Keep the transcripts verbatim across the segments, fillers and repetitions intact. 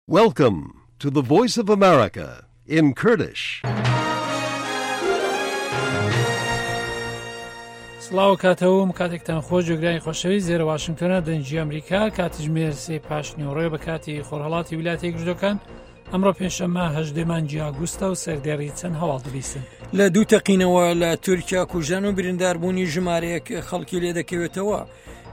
Welcome to the Voice of America in Kurdish. سڵاو کاتەوەم کاتێکتان خۆش جێگرانی خۆشەویست زێرە واشنگتۆنە دەنگی ئەمریکا کاتژمێر سێ پاش نیوەڕۆیە بە کاتی خۆرهەڵاتی ویلایەتە یەکگرتووەکان. ئەمڕۆ پێنجشەممە هەژدە مانگی ئاگوستە و سەردێڕی چەند هەواڵ دەبیستن. لە دوو تەقینەوە لە تورکیا کوژان و برینداربوونی ژمارەیەک خەڵکی لێدەکەوێتەوە.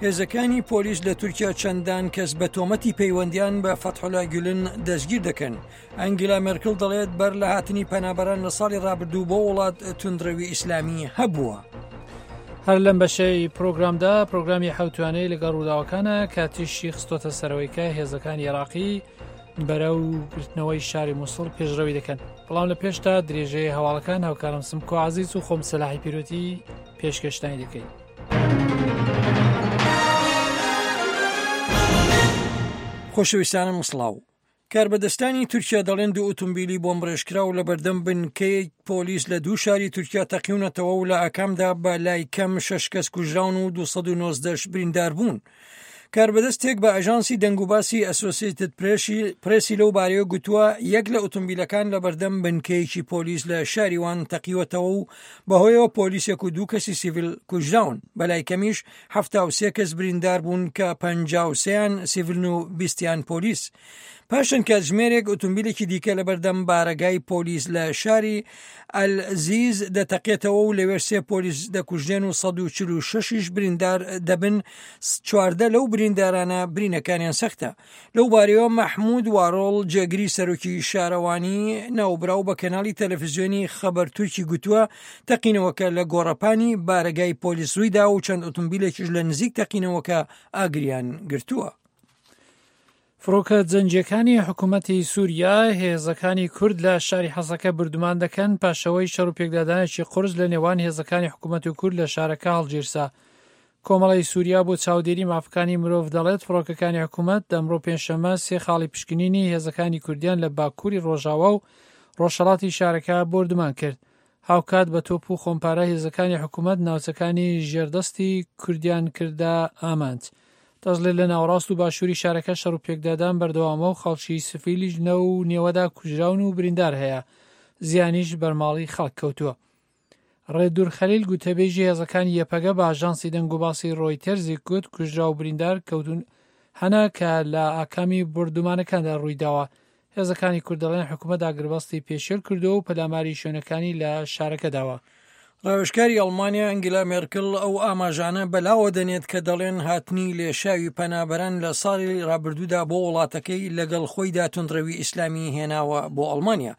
هێزەکانی پۆلیس لە تورکیا چەندان کەس بە تۆمەتی پەیوەندیان بە فەتحوڵا گولن دەستگیر دەکەن. ئەنگیلا مێرکل دەڵێت بەر لە هاتنی پەنابەران لە ساڵی ڕابردوو بۆ وڵات توندڕەوی ئیسلامی هەبووە. هەر لەم بەشەی پرۆگرامدا پرۆگرامی حەوتوانەی لەگەڵ ڕووداوەکانە کاتیشی خستۆتە سەرەوەی کە هێزەکانی عێراقی بەرەو گرتنەوەی شاری موسڵ پێشڕەوی دەکەن. بەڵام لە پێشتا درێژەی هەواڵەکان هاوکارم سمکۆ عەزیز و خۆم سەلاحی پیرۆتی پێشکەشتانی دەکەین. خۆشەویستانم سڵاو. کاربەدەستانی تورکیا دەڵێن دوو ئۆتۆمبیلی بۆمبڕێژکراو لە بەردەم بنکەی پۆلیس لە دوو شاری تورکیا تەقیونەتەوە و لە ئاکامدا بە لای کەم شەش کەس کوژراون و دوو سەد و نۆزدەش بریندار بوون. کاربەدەستێک بە ئاژانسی دەنگوباسی ئەسۆسیەتد پرێسی لەو بارەیە گوتووە یەک لە ئۆتۆمبیلەکان لە بەردەم بنکەیەکی پۆلیس لە شاری وان تەقیوەتەوە و بەهۆیەوە پۆلیسێک و دوو کەسی سیڤیل کوژراون. بەلای کەمیش حەفتا و سێ کەس بریندار بوون کە پەنجا و سێیان سیڤیلن و بیستیان پۆلیس. پاشان کاتژمێرێک ئۆتۆمبیلێکی دیکە لە بەردەم بارەگای پۆلیس لە شاری ئەلزیز دەتەقێتەوە و لەوێ سێ پۆلیس دەکوژرێن و سەد و چل و شەشیش بریندار دەبن. چواردە لەو بریندارانە برینەکانیان سەختە. لەو بارەیەوە مەحمود وارۆڵ جێگری سەرۆکی شارەوانی ناوبراو بە کەناڵی تەلەڤیزیۆنی خەبەر تورکی گوتووە تەقینەوەکە لە گۆڕەپانی بارەگای پۆلیس ڕوویدا و چەند ئۆتۆمبیلێکیش لە نزیک تەقینەوەکە ئاگریان گرتووە. فڕۆکە جەنگیەکانی حکوومەتی سووریا هێزەکانی کورد لە شاری حەسەکە بردومان دەکەن پاشەوەی شەڕ و پێکدادانێکی قورس لە نێوان هێزەکانی حکوومەت و کورد لە شارەکە هەڵگیرسا. کۆمەڵی سووریا بۆ چاودێری مافەکانی مرۆڤ دەڵێت فڕۆکەکانی حکوومەت ئەمڕۆ پێنجشەممە سێ خاڵی پشکنینی هێزەکانی کوردیان لە باکووری ڕۆژاوا و ڕۆژهەڵاتی شارەکە بۆردومان کرد. هاوکات بە تۆپ و خۆمپارە هێزەکانی حکوومەت ناوچەکانی ژێردەستی کوردیان کردە ئامانج. دەشڵێت لە ناوەڕاست و باشووری شارەکە شەڕ و پێکدادان بەردەوامە و خەڵکی سفیلیش لەو نێوەدا کوژراون و بریندار هەیە، زیانیش بەرماڵی خەڵک کەوتووە. ڕێدور خەلیل گوتەبێژی هێزەکانی یەپەگە بە ئاژانسی دەنگوباسی ڕۆیتەرزی گوت کوژرا و بریندار کەوتون هەنا کە لە ئاکامی بردومانەکاندا ڕوویداوە. هێزەکانی کورد دەڵێن حکوومەت ئاگربەستی پێشێل کردووە و پەلاماری شوێنەکانی لە شارەکە داوە. ڕاوێژکاری ئەڵمانیا ئەنگیلا مێرکل ئەو ئاماژانە بەلاوە دەنێت کە دەڵێن هاتنی لێشاوی پەنابەران لە ساڵی ڕابردوودا بۆ وڵاتەکەی لەگەڵ خۆیدا توندڕەوی ئیسلامی هێناوە بۆ ئەڵمانیا.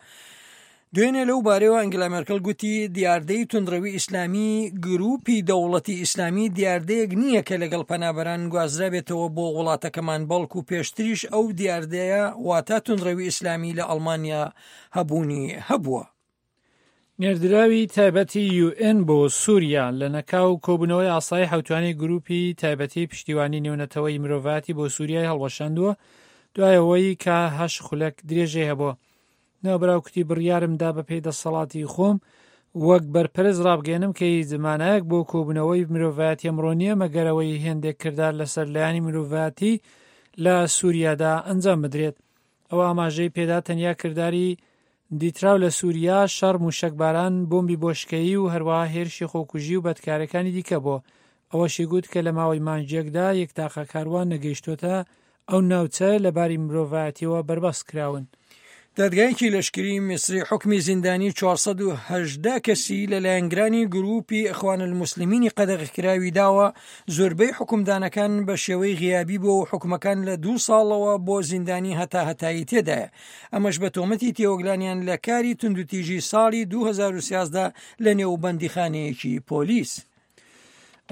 دوێنێ لەو بارەیەوە ئەنگیلا مێرکل گوتی دیاردەی توندڕەوی ئیسلامی گروپی دەوڵەتی ئیسلامی دیاردەیەک نییە کە لەگەڵ پەنابەران گوازرابێتەوە بۆ وڵاتەکەمان، بەڵکو پێشتریش ئەو دیاردەیە واتە توندڕەوی ئیسلامی لە ئەڵمانیا هەبوونی هەبووە. نێردراوی تایبەتی یو ئێن بۆ سووریا لە نەکاو کۆبوونەوەی ئاسایی حەوتوانەی گروپی تایبەتی پشتیوانی نێونەتەوەی مرۆڤایەتی بۆ سووریای هەڵوەشاندووە دوای ئەوەی کە هەشت خولەک درێژەی هەبووە. ناوبراو کوتی بڕیارمدا بەپێی دەسەڵاتی خۆم وەک بەرپرس ڕابگەێنم کە هیچ مانایەک بۆ کۆبوونەوەی مرۆڤایەتی ئەمڕۆ نییە مەگەرەوەی هێندێک کردار لەسەر لایەنی مرۆڤایەتی لە سووریادا ئەنجام بدرێت. ئەو ئاماژەی پێدا تەنیا کرداری دیتراو لە سووریا شەڕ، موشەکباران، بۆمبی بۆشکەیی و هەروەها هێرشی خۆکوژی و بەدکارەکانی دیکە بۆ. ئەوەشی گوت کە لە ماوەی مانگێکدا یەک تاقە کاروان نەگەیشتۆتە ئەو ناوچە لەباری مرۆڤایەتیەوە بەربەست کراون. دادگایەکی لەشکری میسری حکمی زیندانی چوار سەد و هەژدە کەسی لە لایەنگرانی گروپی ئەخوان الموسلمینی قەدەغەکراوی داوە. زۆربەی حکومدانەکان بە شێوەی غیابی بۆ و حکومەکان لە دوو ساڵەوە بۆ زیندانی هەتا هەتایی تێدایە. ئەمەش بە تۆمەتی تێوەگلانیان لە کاری توندوتیژی ساڵی دوو هەزار و سیازدە لە نێو بەندیخانەیەکی پۆلیس.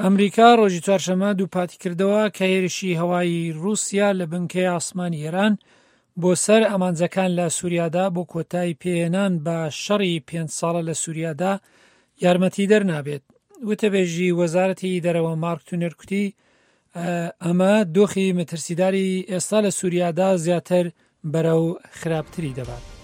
ئەمریکا ڕۆژی چوارشەممە دووپاتی کردەوە کە هێرشی هەوایی ڕووسیا لە بنکەی ئاسمانی ئێران بۆ سەر ئامانجەکان لە سووریادا بۆ کۆتایی پێهێنان بە شەڕی پێنج ساڵە لە سووریادا یارمەتی دەرنابێت. وتەبێژی وەزارەتی دەرەوە مارک تونێر کوتی ئەمە دۆخی مەترسیداری ئێستا لە سووریادا زیاتر بەرەو خراپتری دەبات.